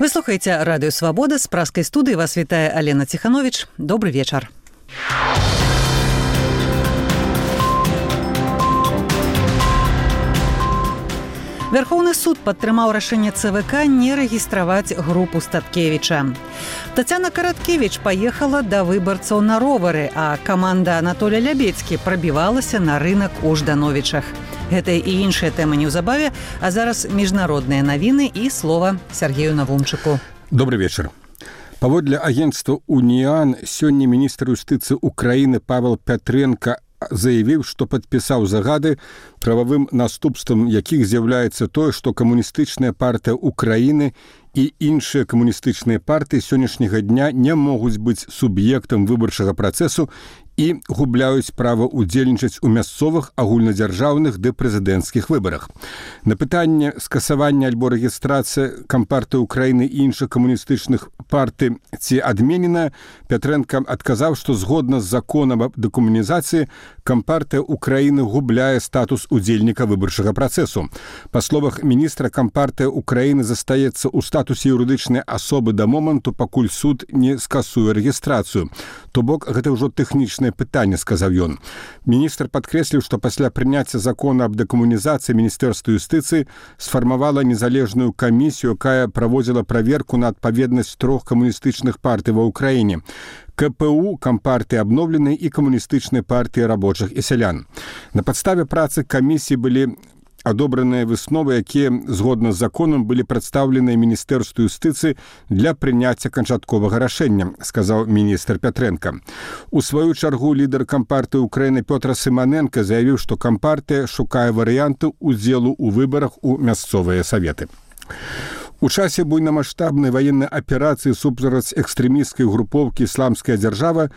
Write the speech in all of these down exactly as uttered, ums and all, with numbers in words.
Вы слухаеце радыё Свабода, з праскай студыі вас вітае Алена Ціхановіч. Добры вечар. Верховны суд падтрымаў рашэнне ЦВК не рэгістраваць групу Статкевіча. Тацяна Караткевіч паехала да выбарцаў на ровары, а каманда Анатолія Лябедзькі прабівалася на рынак у Ждановічах. Гэта і іншыя тэмы неўзабаве, а зараз міжнародныя навіны і слова Сергею Навумчыку. Добрый вечер. Паводле агентства «Уніан» сёння міністр юстыцыі Украіны Павел Пятренко заявіў, што падпісаў загады, прававым наступствам якіх з'яўляецца тое, што камуністычная партыя Украіны і іншыя камуністычныя партыі сённяшняга дня не могуць быць суб'ектам выбарчага працэсу і губляюць права ўдзельнічаць у мясцовых, агульнадзяржаўных ды прэзідэнцкіх выбарах. На пытанне скасавання альбо рэгістрацыі кампартыі Украіны і іншых камуністычных партый ці адменена, Пятренко адказаў, што згодна з законам аб дэкамунізацыі кампартыя Украіны губляе статус удзельніка выбарчага працэсу. Па словах міністра, кампартыя Украіны застаецца ў статусе юрыдычнай асобы да моманту, пакуль суд не скасуе рэгістрацыю. То бок, гэта ўжо тэхнічнае пытанне, сказаў ён. Міністр падкрэсліў, што пасля прыняцця закона аб дэкамунізацыі Міністэрства юстыцыі сфармавала незалежную камісію, якая праводзіла праверку на адпаведнасць трох камуністычных партый ва ўкраіне. КПУ, кампартыі абноўленай і камуністычнай партыі рабочых і сялян. На падставе працы камісіі былі адобраныя высновы, якія, згодна з законам, былі прадстаўленыя Міністэрству юстыцыі для прыняцця канчатковага рашэння, сказаў міністр Пятренко. У сваю чаргу лідар кампартыі Украіны Пётр Сыманенко заявіў, што кампартыя шукае варыянты ўдзелу ў выбарах у мясцовыя саветы. У часе буйнамаштабнай ваеннай аперацыі супраць экстрэмісцкай групоўкі «Ісламская дзяржава»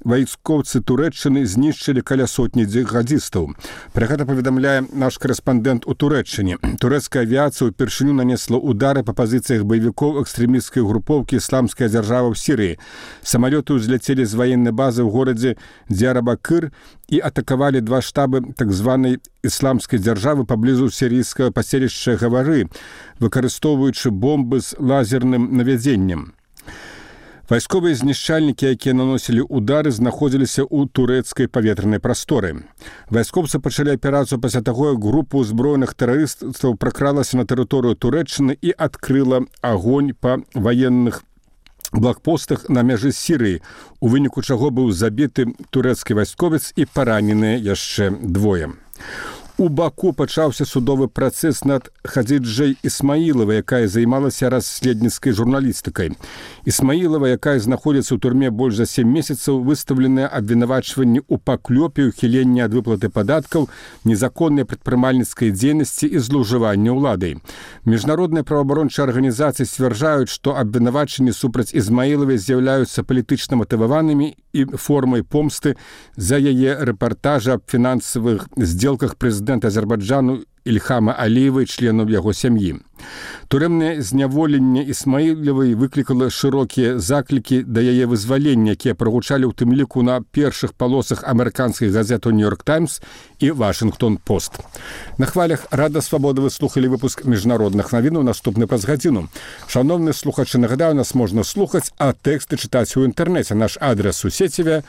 вайскоўцы Турэччыны знішчылі каля сотні джихадзістаў. Пра гэта паведамляе наш корэспандэнт у Турэччыне. Турэцкая авіяцыя ўпершыню нанесла удары па пазіцыях баевікоў экстрэмісцкай групоўкі «Ісламская дзяржава» ў Сірыі. Самалёты ўзляцелі з ваеннай базы ў горадзе Дзярабакыр і атакавалі два штабы так званай «Ісламскай дзяржавы» паблізу сірійскага паселішча Гавары, выкарыстоўваючы бомбы з лазерным навядзеннем. Вайсковыя знішчальнікі, якія наносілі удары, знаходзіліся ў турэцкай паветранай прасторы. Вайскоўцы пачалі аперацыю пасля таго, як група ўзброеных тэрарыстаў пракралася на тэрыторыю Турэччыны і адкрыла агонь па ваенных блокпостах на мяжы з Сірыі, у выніку чаго быў забіты турэцкі вайсковец і параненыя яшчэ двое. У Баку пачаўся судовы працэс над Хадзіджай Ісмаілавай, якая займалася расследніцкай журналістыкай. Ісмаілава, якая знаходзіцца ў турме больш за сем месяцаў, выстаўленыя абвінавачванні ў паклёпе, ухіленні ад выплаты падаткаў, незаконнай прадпрымальніцкай дзейнасці і злоўжывання ўладай. Міжнародныя праваабарончыя арганізацыі сцвярджаюць, што абвінавачанні супраць Ізмаілавай з'яўляюцца палітычна матываванымі і формай помсты за яе рэпартажы аб фінансавых здзелках прэзідэнта Азербайджану Ільхама Аліева і членаў яго сям'і. Турэмнае зняволенне Ісмаілавай выклікала шырокія заклікі да яе вызвалення, якія прагучалі ў тым ліку на першых палосах амерыканскіх газет «Нью-Йорк Таймс» і «Вашынгтон-Пост». На хвалях Рада Свабода вы слухалі выпуск міжнародных навінаў, наступны праз гадзіну. Шановныя слухачы, нагадаю, нас можна слухаць, а тэксты чытаць у інтэрнэце. Наш адрес у сеціве